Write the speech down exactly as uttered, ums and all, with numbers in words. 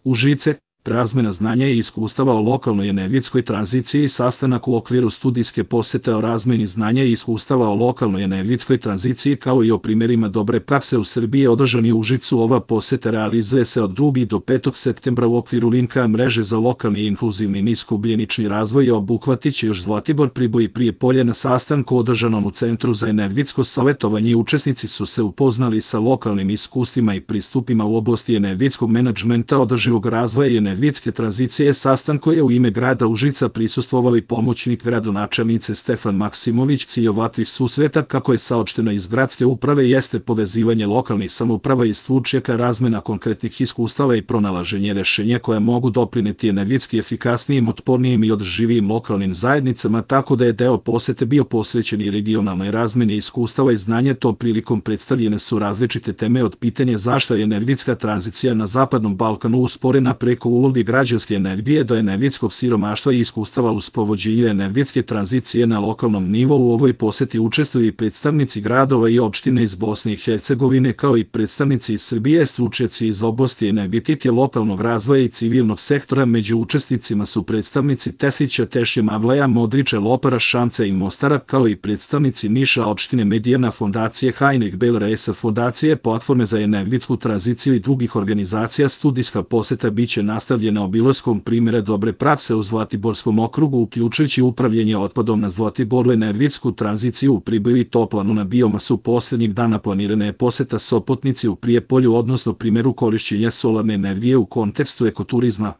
Užice, razmena znanja i iskustava o lokalnoj energetskoj tranziciji, sastanak u okviru studijske posete o razmeni znanja i iskustava o lokalnoj energetskoj tranziciji kao i o primjerima dobre prakse u Srbiji održan je u Užicu. Ova poseta realizuje se od drugog do petog septembra u okviru linka mreže za lokalni i inkluzivni niskougljenični razvoj i obuhvatit će još Zlatibor, Priboj i Prijepolje. Na sastanku održanom u Centru za energetsko savjetovanje učesnici su se upoznali sa lokalnim iskustvima i pristupima u oblasti energetskog menadžmenta, održivog razvoja i energetske tranzicije. Sastanku je u ime grada Užica prisustvovao i pomoćnik gradonačelnice Stefan Maksimović. Cilj ovakvih susreta, kako je saopšteno iz gradske uprave, jeste povezivanje lokalnih samouprava i stručnjaka, razmena konkretnih iskustava i pronalaženje rešenja koja mogu doprineti energetski efikasnijim, otpornijim i održivijim lokalnim zajednicama, tako da je deo posete bio posvećen i regionalnoj razmeni iskustava i znanja. Tom prilikom predstavljene su različite teme, od pitanja zašto je energetska tranzicija na Zapadnom Balkanu usporena preko uloge građanske energije do energetskog siromaštva i iskustava u sprovođenju energetske tranzicije na lokalnom nivou. U ovoj poseti učestvuju i predstavnici gradova i opštine iz Bosne i Hercegovine, kao i predstavnici iz Srbije, stručnjaci iz oblasti energetike, lokalnog razvoja i civilnog sektora. Među učesnicima su predstavnici Teslića, Tešnje, Mavlaja, Modriča, Lopara, Šamca i Mostara, kao i predstavnici Niša, opštine Medijana, fondacije Heinrich Böll, fondacije Platforme za energetsku tranziciju i drugih organizacija. Studijska poseta biće nastavljena obilaskom primjera dobre prakse u Zlatiborskom okrugu, uključujući upravljanje otpadom na Zlatiboru, energetsku tranziciju u Priboju i toplanu na biomasu. Posljednjih dana planirana je poseta Sopotnici u Prijepolju, odnosno primjeru korišćenja solarne energije u kontekstu ekoturizma.